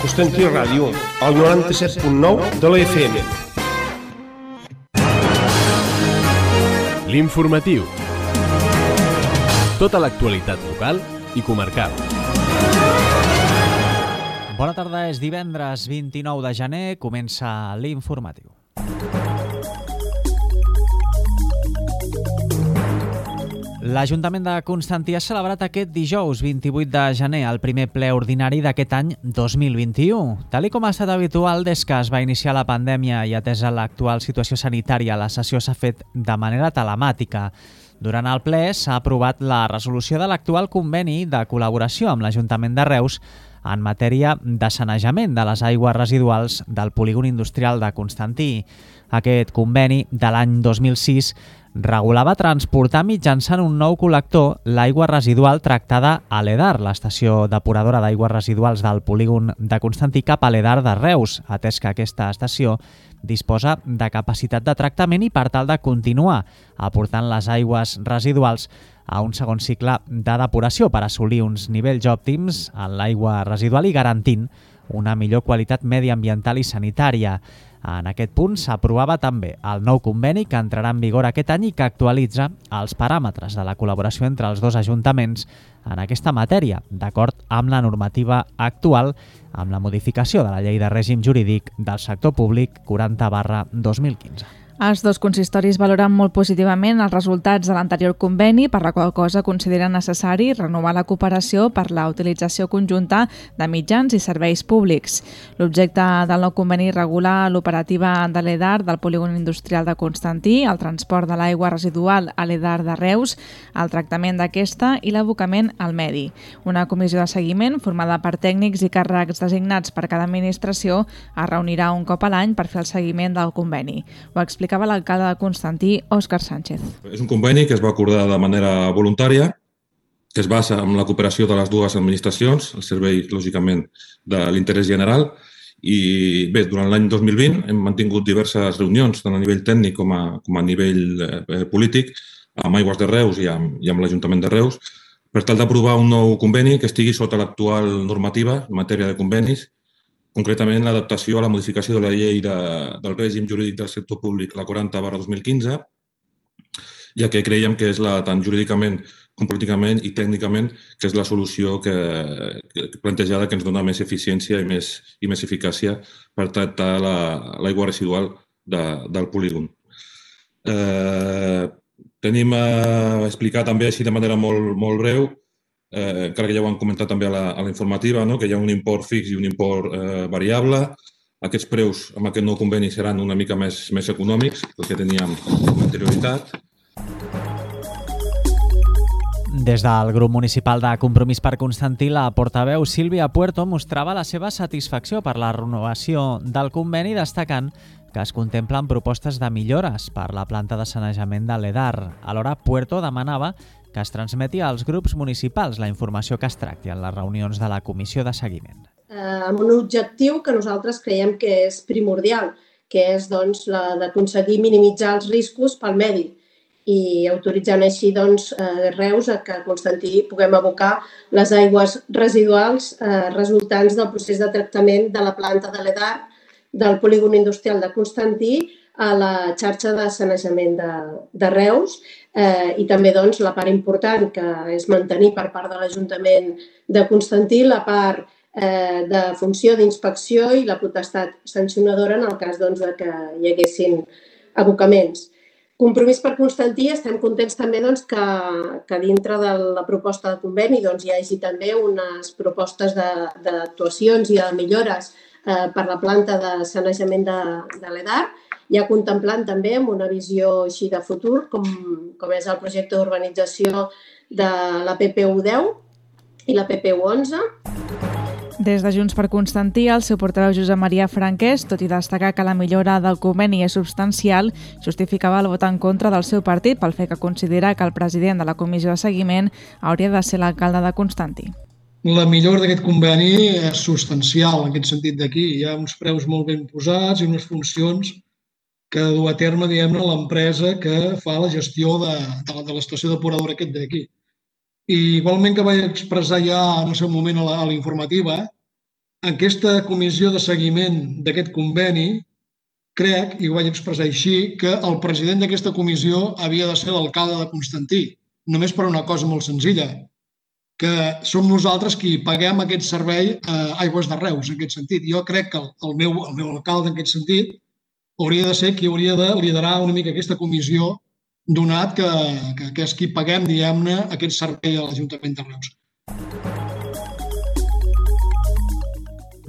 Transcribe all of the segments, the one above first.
Constantí Ràdio, al 97.9 de la FM. L'informatiu. Tota l'actualitat local i comarcal. Bona tarda, és divendres 29 de gener, comença l'informatiu. L'Ajuntament de Constantí ha celebrat aquest dijous 28 de gener el primer ple ordinari d'aquest any 2021. Tal com ha estat habitual des que es va iniciar la pandèmia i atesa l'actual situació sanitària, la sessió s'ha fet de manera telemàtica. Durant el ple s'ha aprovat la resolució de l'actual conveni de col·laboració amb l'Ajuntament de Reus en matèria de sanejament de les aigües residuals del polígon industrial de Constantí. Aquest conveni de l'any 2006 regulava transportar mitjançant un nou col·lector l'aigua residual tractada a l'EDAR, l'estació depuradora d'aigües residuals del polígon de Constantí, cap a l'EDAR de Reus, atès que aquesta estació disposa de capacitat de tractament i per tal de continuar aportant les aigües residuals a un segon cicle de depuració per assolir uns nivells òptims en l'aigua residual i garantint una millor qualitat mediambiental i sanitària. En aquest punt s'aprovava també el nou conveni que entrarà en vigor aquest any i que actualitza els paràmetres de la col·laboració entre els dos ajuntaments en aquesta matèria, d'acord amb la normativa actual, amb la modificació de la Llei de Règim Jurídic del Sector Públic 40/2015. Els dos consistoris valoren molt positivament els resultats de l'anterior conveni, per la qual cosa consideren necessari renovar la cooperació per la utilització conjunta de mitjans i serveis públics. L'objecte del nou conveni regula l'operativa de l'EDAR del polígon industrial de Constantí, el transport de l'aigua residual a l'EDAR de Reus, el tractament d'aquesta i l'abocament al medi. Una comissió de seguiment formada per tècnics i càrrecs designats per cada administració es reunirà un cop a l'any per fer el seguiment del conveni. Ho explicava l'alcalde de Constantí, Òscar Sánchez. És un conveni que es va acordar de manera voluntària, que es basa en la cooperació de les dues administracions, el servei, lògicament, de l'interès general. I bé, durant l'any 2020 hem mantingut diverses reunions, tant a nivell tècnic com a nivell polític, amb Aigües de Reus i amb l'Ajuntament de Reus, per tal d'aprovar un nou conveni que estigui sota l'actual normativa en matèria de convenis, concretament l'adaptació a la modificació de la llei del règim jurídic del sector públic, la 40/2015, ja que creiem que és tant jurídicament com políticament i tècnicament que és la solució plantejada que ens dona més eficiència i més eficàcia per tractar l'aigua residual del polígon. Tenim a explicar també així de manera molt breu, encara que ja ho han comentat també a la informativa, que hi ha un import fix i un import variable. Aquests preus amb aquest nou conveni seran una mica més econòmics del que teníem amb anterioritat. Des del grup municipal de Compromís per Constantí, la portaveu Sílvia Puerto mostrava la seva satisfacció per la renovació del conveni, destacant que es contemplen propostes de millores per la planta de sanejament de l'EDAR. Alhora, Puerto demanava que es transmeti als grups municipals la informació que es tracti en les reunions de la comissió de seguiment. Amb un objectiu que nosaltres creiem que és primordial, que és la d'aconseguir minimitzar els riscos pel medi i autoritzant així Reus a que a Constantí puguem abocar les aigües residuals resultants del procés de tractament de la planta de l'EDAR del polígon industrial de Constantí a la xarxa de sanejament de Reus i també la part important que és mantenir per part de l'Ajuntament de Constantí la part de funció d'inspecció i la potestat sancionadora en el cas que hi haguessin abocaments. Compromís per Constantí, estem contents també que dintre de la proposta de conveni hi hagi també unes propostes d'actuacions i de millores per la planta de sanejament de l'EDAR, ja contemplant també amb una visió així de futur, com és el projecte d'urbanització de la PPU 10 i la PPU 11. Des de Junts per Constantí, el seu portaveu Josep Maria Franquès, tot i destacar que la millora del conveni és substancial, justificava el vot en contra del seu partit pel fet que considera que el president de la comissió de seguiment hauria de ser l'alcalde de Constantí. La millora d'aquest conveni és substancial en aquest sentit d'aquí. Hi ha uns preus molt ben posats i unes funcions que du a terme, l'empresa que fa la gestió de l'estació depuradora aquest d'aquí. I igualment que vaig expressar ja en el seu moment a la informativa, aquesta comissió de seguiment d'aquest conveni, crec, i ho vaig expressar així, que el president d'aquesta comissió havia de ser l'alcalde de Constantí, només per una cosa molt senzilla, que som nosaltres qui paguem aquest servei a Aigües de Reus, en aquest sentit. Jo crec que el meu alcalde, en aquest sentit, hauria de ser qui hauria de liderar una mica aquesta comissió, donat que és qui paguem, diguem-ne, aquest servei a l'Ajuntament de Reus.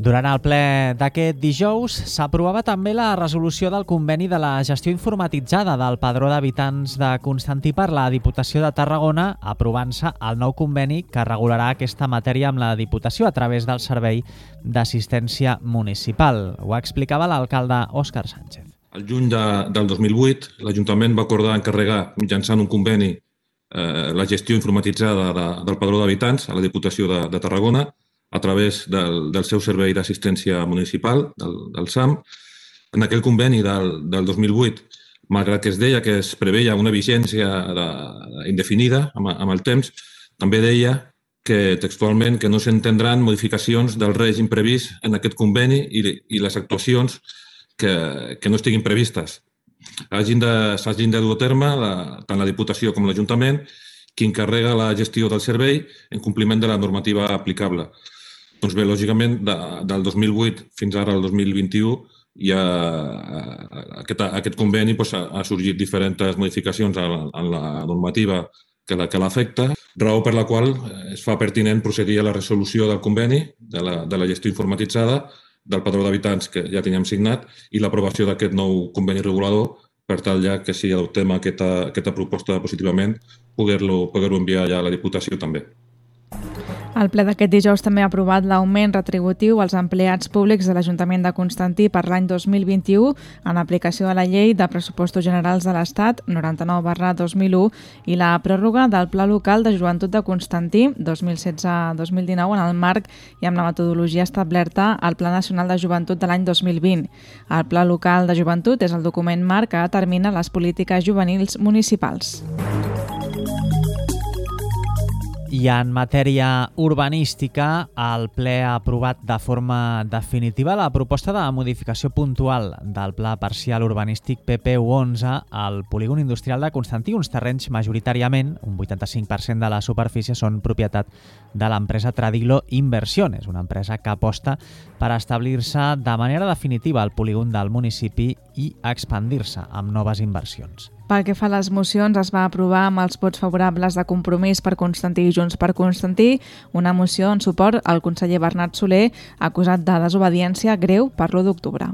Durant el ple d'aquest dijous s'aprovava també la resolució del conveni de la gestió informatitzada del Padró d'Habitants de Constantí per la Diputació de Tarragona, aprovant-se el nou conveni que regularà aquesta matèria amb la Diputació a través del Servei d'Assistència Municipal. Ho explicava l'alcalde Òscar Sánchez. El juny del 2008, l'Ajuntament va acordar encarregar, mitjançant un conveni, la gestió informatitzada del Padró d'Habitants a la Diputació de Tarragona, a través del seu servei d'assistència municipal, del SAM. En aquell conveni del 2008, malgrat que es deia que es preveia una vigència indefinida amb el temps, també deia que textualment que no s'entendran modificacions del règim previst en aquest conveni i les actuacions que no estiguin previstes. S'hagin de dur a terme tant la Diputació com l'Ajuntament, qui encarrega la gestió del servei en compliment de la normativa aplicable. Doncs bé, lògicament, del 2008 fins ara al 2021, aquest conveni ha sorgit diferents modificacions en la normativa que l'afecta, raó per la qual es fa pertinent procedir a la resolució del conveni de la gestió informatitzada del Padró d'Habitants que ja teníem signat i l'aprovació d'aquest nou conveni regulador per tal ja que si adoptem aquesta proposta positivament poder-lo enviar ja a la Diputació també. El ple d'aquest dijous també ha aprovat l'augment retributiu als empleats públics de l'Ajuntament de Constantí per l'any 2021 en aplicació de la Llei de Pressupostos Generals de l'Estat 99/2001 i la pròrroga del Pla Local de Joventut de Constantí 2016-2019 en el marc i amb la metodologia establerta al Pla Nacional de Joventut de l'any 2020. El Pla Local de Joventut és el document marc que determina les polítiques juvenils municipals. I en matèria urbanística, el ple ha aprovat de forma definitiva la proposta de modificació puntual del Pla Parcial Urbanístic PP11 al polígon industrial de Constantí. Uns terrenys majoritàriament, un 85% de la superfície, són propietat de l'empresa Tradilo Inversiones, una empresa que aposta per establir-se de manera definitiva al polígon del municipi i expandir-se amb noves inversions. Pel que fa a les mocions, es va aprovar amb els vots favorables de Compromís per Constantí i Junts per Constantí una moció en suport al conseller Bernat Soler, acusat de desobediència greu per l'1 d'octubre.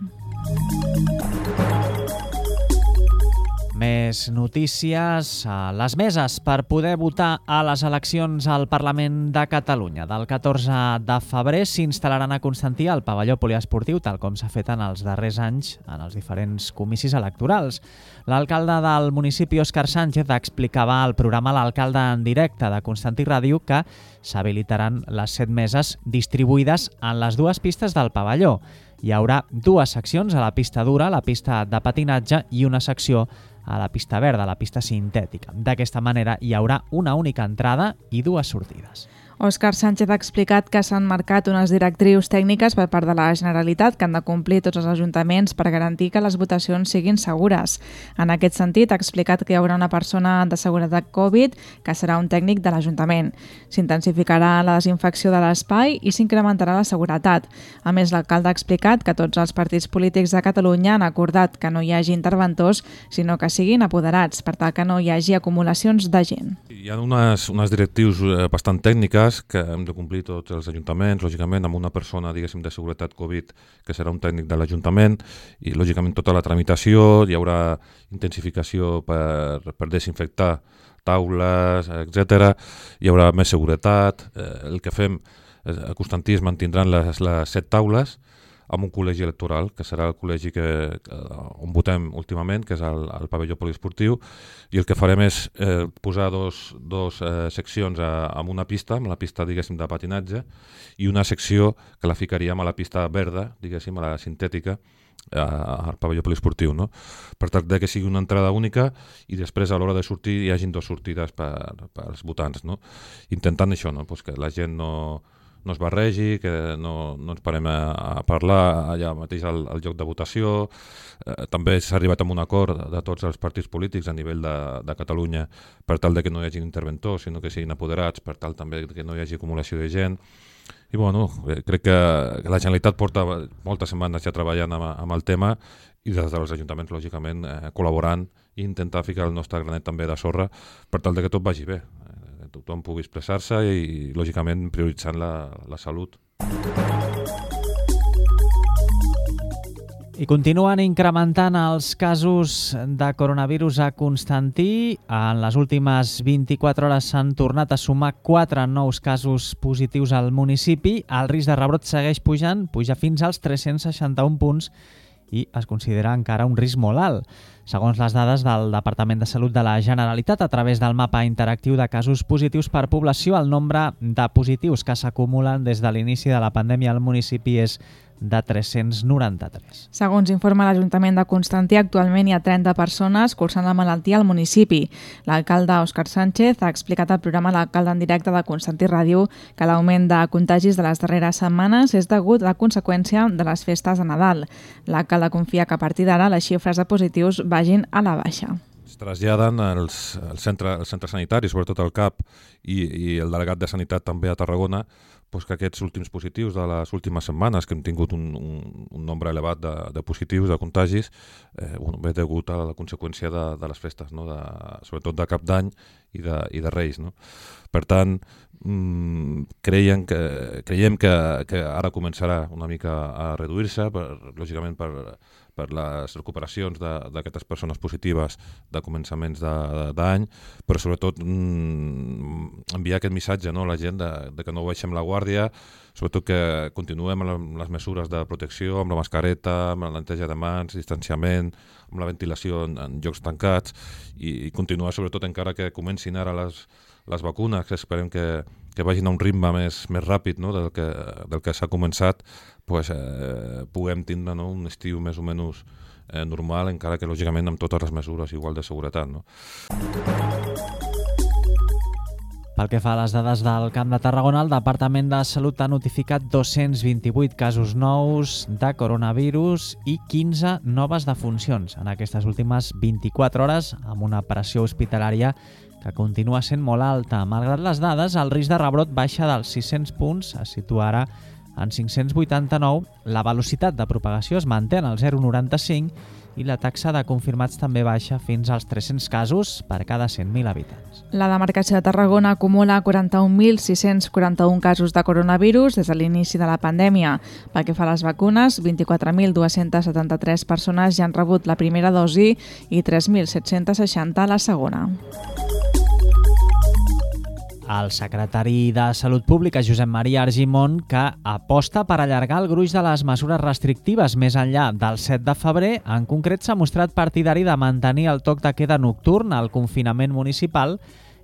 Més notícies. Les meses per poder votar a les eleccions al Parlament de Catalunya del 14 de febrer s'instal·laran a Constantí al pavelló poliesportiu, tal com s'ha fet en els darrers anys en els diferents comicis electorals. L'alcalde del municipi, Òscar Sánchez, explicava al programa L'Alcalde en directe de Constantí Ràdio que s'habilitaran les 7 meses distribuïdes en les 2 pistes del pavelló. Hi haurà 2 seccions, a la pista dura, la pista de patinatge, i una secció a la pista verda, la pista sintètica. D'aquesta manera hi haurà una única entrada i 2 sortides. Òscar Sánchez ha explicat que s'han marcat unes directrius tècniques per part de la Generalitat que han de complir tots els ajuntaments per garantir que les votacions siguin segures. En aquest sentit, ha explicat que hi haurà una persona de seguretat Covid que serà un tècnic de l'Ajuntament. S'intensificarà la desinfecció de l'espai i s'incrementarà la seguretat. A més, l'alcalde ha explicat que tots els partits polítics de Catalunya han acordat que no hi hagi interventors, sinó que siguin apoderats, per tal que no hi hagi acumulacions de gent. Hi ha unes directrius bastant tècniques que hem de complir tots els ajuntaments, lògicament amb una persona, diguéssim, de seguretat Covid que serà un tècnic de l'Ajuntament, i lògicament tota la tramitació, hi haurà intensificació per desinfectar taules, etc. Hi haurà més seguretat. El que fem a Constantí es mantindran les 7 taules amb un col·legi electoral, que serà el col·legi on votem últimament, que és el pavelló poliesportiu, i el que farem és posar dos seccions amb una pista, amb la pista, diguéssim, de patinatge, i una secció que la ficaríem a la pista verda, diguéssim, a la sintètica, al pavelló poliesportiu, no? Per tal que sigui una entrada única i després a l'hora de sortir hi hagin 2 sortides pels votants, no? Intentant això, no? Pues que la gent no no es barregi, que no ens parem a parlar allà mateix al lloc de votació. També s'ha arribat a un acord de tots els partits polítics a nivell de Catalunya per tal de que no hi hagi interventors, sinó que siguin apoderats, per tal també que no hi hagi acumulació de gent. I bueno, crec que la Generalitat porta moltes setmanes ja treballant amb el tema i des dels ajuntaments, lògicament, col·laborant i intentar ficar el nostre granet també de sorra per tal de que tot vagi bé, que tothom pugui expressar-se i lògicament prioritzant la salut. I continuen incrementant els casos de coronavirus a Constantí. En les últimes 24 hores s'han tornat a sumar 4 nous casos positius al municipi. El risc de rebrot segueix pujant, puja fins als 361 punts i es considera encara un risc molt alt. Segons les dades del Departament de Salut de la Generalitat, a través del mapa interactiu de casos positius per població, el nombre de positius que s'acumulen des de l'inici de la pandèmia al municipi és de 393. Segons informa l'Ajuntament de Constantí, actualment hi ha 30 persones cursant la malaltia al municipi. L'alcalde Òscar Sánchez ha explicat al programa L'Alcalde en directe de Constantí Ràdio que l'augment de contagis de les darreres setmanes és degut a la conseqüència de les festes de Nadal. L'alcalde confia que a partir d'ara les xifres de positius vagin a la baixa. Es traslladen als centres sanitaris, sobretot al CAP i el delegat de Sanitat també a Tarragona, doncs que aquests últims positius de les últimes setmanes, que hem tingut un nombre elevat de positius, de contagis, ve degut a la conseqüència de les festes, no? Sobretot de Cap d'Any i de Reis. No? Per tant, creiem que ara començarà una mica a reduir-se, lògicament per les recuperacions d'aquestes persones positives de començaments d'any, però sobretot enviar aquest missatge, no, a la gent de que no baixem la guàrdia, sobretot que continuem amb les mesures de protecció, amb la mascareta, amb la neteja de mans, distanciament, amb la ventilació en llocs tancats i continuar sobretot encara que comencin ara les vacunes, que esperem que vagin a un ritme més ràpid, no, del que s'ha començat, puguem tindre, no, un estiu més o menys normal, encara que lògicament amb totes les mesures igual de seguretat. No? Pel que fa a les dades del Camp de Tarragona, el Departament de Salut ha notificat 228 casos nous de coronavirus i 15 noves defuncions en aquestes últimes 24 hores, amb una pressió hospitalària que continua sent molt alta. Malgrat les dades, el risc de rebrot baixa dels 600 punts, es situa ara en 589, la velocitat de propagació es manté en el 0,95 i la taxa de confirmats també baixa fins als 300 casos per cada 100.000 habitants. La demarcació de Tarragona acumula 41.641 casos de coronavirus des de l'inici de la pandèmia. Pel que fa a les vacunes, 24.273 persones ja han rebut la primera dosi i 3.760 la segona. El secretari de Salut Pública, Josep Maria Argimon, que aposta per allargar el gruix de les mesures restrictives més enllà del 7 de febrer, en concret s'ha mostrat partidari de mantenir el toc de queda nocturn, el confinament municipal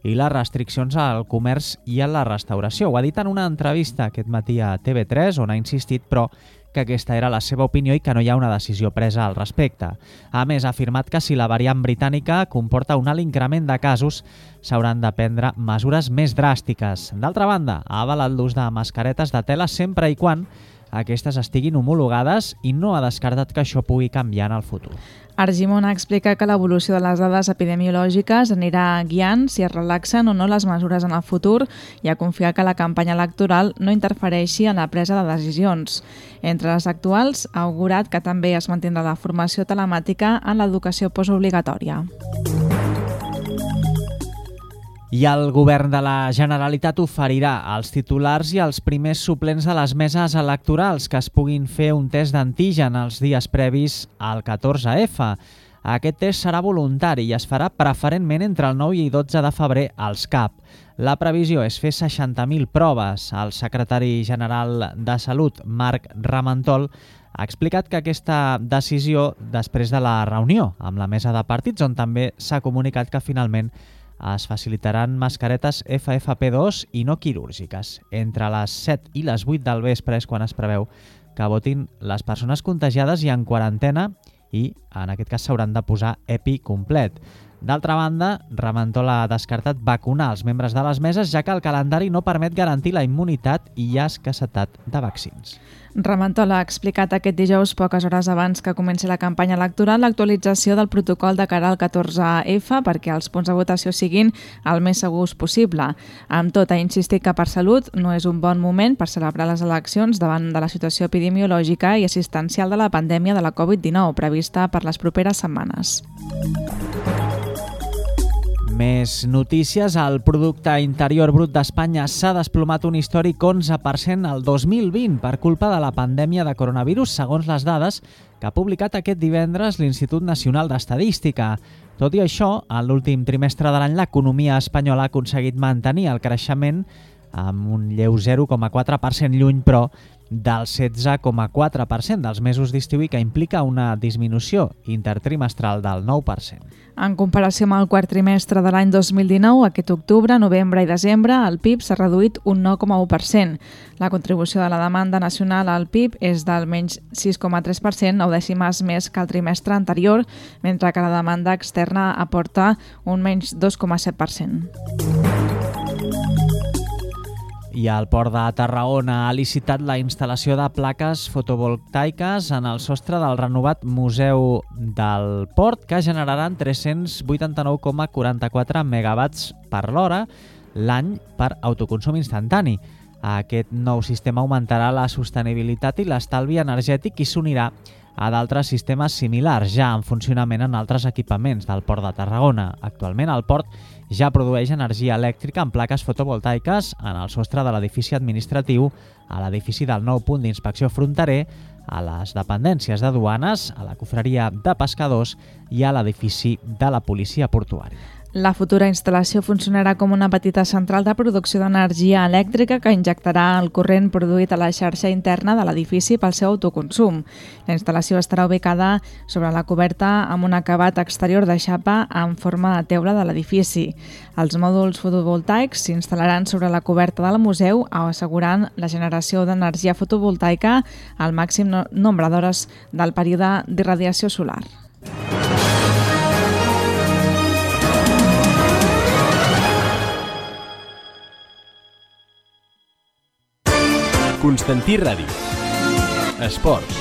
i les restriccions al comerç i a la restauració. Ho ha dit en una entrevista aquest matí a TV3, on ha insistit, però, que aquesta era la seva opinió i que no hi ha una decisió presa al respecte. A més, ha afirmat que si la variant britànica comporta un alt increment de casos, s'hauran de prendre mesures més dràstiques. D'altra banda, ha avalat l'ús de mascaretes de tela sempre i quan aquestes estiguin homologades i no ha descartat que això pugui canviar en el futur. Argimon explica que l'evolució de les dades epidemiològiques anirà guiant si es relaxen o no les mesures en el futur i a confiar que la campanya electoral no interfereixi en la presa de decisions. Entre les actuals, ha augurat que també es mantindrà la formació telemàtica en l'educació postobligatòria. I el govern de la Generalitat oferirà als titulars i als primers suplents de les meses electorals que es puguin fer un test d'antigen els dies previs al 14F. Aquest test serà voluntari i es farà preferentment entre el 9 i 12 de febrer als CAP. La previsió és fer 60.000 proves. El secretari general de Salut, Marc Ramentol, ha explicat que aquesta decisió després de la reunió amb la mesa de partits, on també s'ha comunicat que finalment es facilitaran mascaretes FFP2 i no quirúrgiques. Entre les 7 i les 8 del vespre és quan es preveu que votin les persones contagiades i en quarantena i en aquest cas s'hauran de posar EPI complet. D'altra banda, Ramentola ha descartat vacunar els membres de les meses, ja que el calendari no permet garantir la immunitat i hi ha escassetat de vaccins. Ramentola ha explicat aquest dijous, poques hores abans que comenci la campanya electoral, l'actualització del protocol de cara al 14F perquè els punts de votació siguin el més segurs possible. Amb tot, ha insistit que per salut no és un bon moment per celebrar les eleccions davant de la situació epidemiològica i assistencial de la pandèmia de la Covid-19 prevista per les properes setmanes. Més notícies. El producte interior brut d'Espanya s'ha desplomat un històric 11% el 2020 per culpa de la pandèmia de coronavirus, segons les dades que ha publicat aquest divendres l'Institut Nacional d'Estadística. Tot i això, en l'últim trimestre de l'any l'economia espanyola ha aconseguit mantenir el creixement amb un lleu 0,4%, lluny, però, del 16,4% dels mesos d'estiu i que implica una disminució intertrimestral del 9%. En comparació amb el quart trimestre de l'any 2019, aquest octubre, novembre i desembre, el PIB s'ha reduït un 9,1%. La contribució de la demanda nacional al PIB és del menys 6,3%, 9 dècimes més que el trimestre anterior, mentre que la demanda externa aporta un menys 2,7%. I el Port de Tarragona ha licitat la instal·lació de plaques fotovoltaiques en el sostre del renovat Museu del Port, que generaran 389,44 megawatts per l'hora l'any per autoconsum instantani. Aquest nou sistema augmentarà la sostenibilitat i l'estalvi energètic i s'unirà a d'altres sistemes similars ja en funcionament en altres equipaments del Port de Tarragona. Actualment el port ja produeix energia elèctrica en plaques fotovoltaiques en el sostre de l'edifici administratiu, a l'edifici del nou punt d'inspecció fronterer, a les dependències de duanes, a la cofreria de pescadors i a l'edifici de la policia portuària. La futura instal·lació funcionarà com una petita central de producció d'energia elèctrica que injectarà el corrent produït a la xarxa interna de l'edifici pel seu autoconsum. La instal·lació estarà ubicada sobre la coberta amb un acabat exterior de xapa en forma de teula de l'edifici. Els mòduls fotovoltaics s'instal·laran sobre la coberta del museu, assegurant la generació d'energia fotovoltaica al màxim nombre d'hores del període d'irradiació solar. Constantí Ràdio. Esports.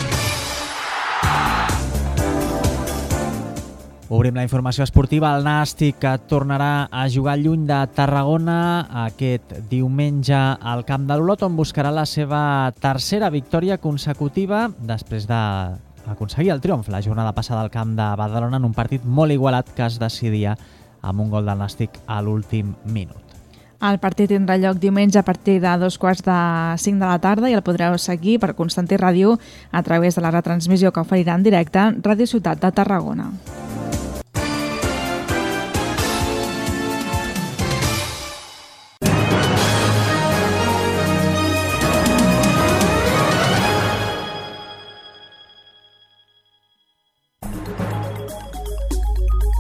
Obrim la informació esportiva. El Nàstic, que tornarà a jugar lluny de Tarragona aquest diumenge al Camp de l'Olot, on buscarà la seva tercera victòria consecutiva després d'aconseguir el triomf la jornada passada al Camp de Badalona en un partit molt igualat que es decidia amb un gol del Nàstic a l'últim minut. El partit tindrà lloc diumenge a partir de 4:45 de la tarda i el podreu seguir per Constantí Ràdio a través de la retransmissió que oferirà en directe Ràdio Ciutat de Tarragona.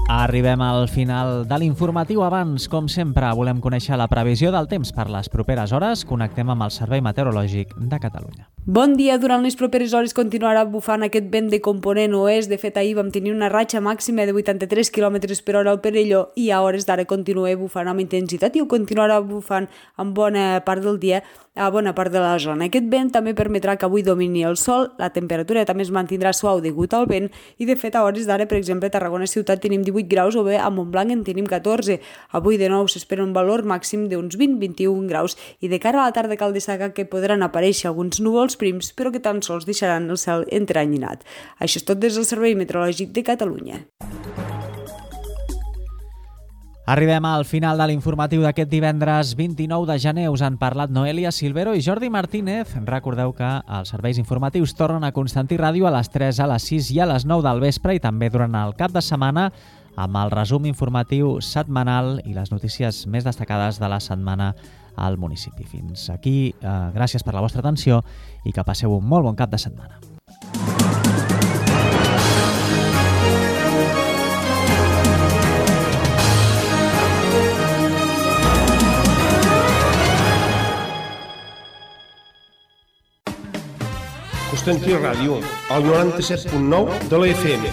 Arribem al final de l'informatiu. Abans, com sempre, volem conèixer la previsió del temps per les properes hores. Connectem amb el Servei Meteorològic de Catalunya. Bon dia. Durant les properes hores continuarà bufant aquest vent de component oest. De fet, ahir vam tenir una ratxa màxima de 83 km per hora al Perelló i a hores d'ara continua bufant amb intensitat i ho continuarà bufant en bona part del dia a bona part de la zona. Aquest vent també permetrà que avui domini el sol, la temperatura també es mantindrà suau degut al vent i de fet a hores d'ara, per exemple, a Tarragona ciutat tenim 18 graus o bé a Montblanc en tenim 14. Avui de nou s'espera un valor màxim d'uns 20-21 graus i de cara a la tarda cal destacar que podran aparèixer alguns núvols prims però que tan sols deixaran el cel entreanyinat. Això és tot des del Servei Meteorològic de Catalunya. Arribem al final de l'informatiu d'aquest divendres 29 de gener. Us han parlat Noelia Silvero i Jordi Martínez. Recordeu que els serveis informatius tornen a Constantí Ràdio a les 3, a les 6 i a les 9 del vespre i també durant el cap de setmana amb el resum informatiu setmanal i les notícies més destacades de la setmana al municipi. Fins aquí, gràcies per la vostra atenció i que passeu un molt bon cap de setmana. Constantí Ràdio, al 97.9 de la FM.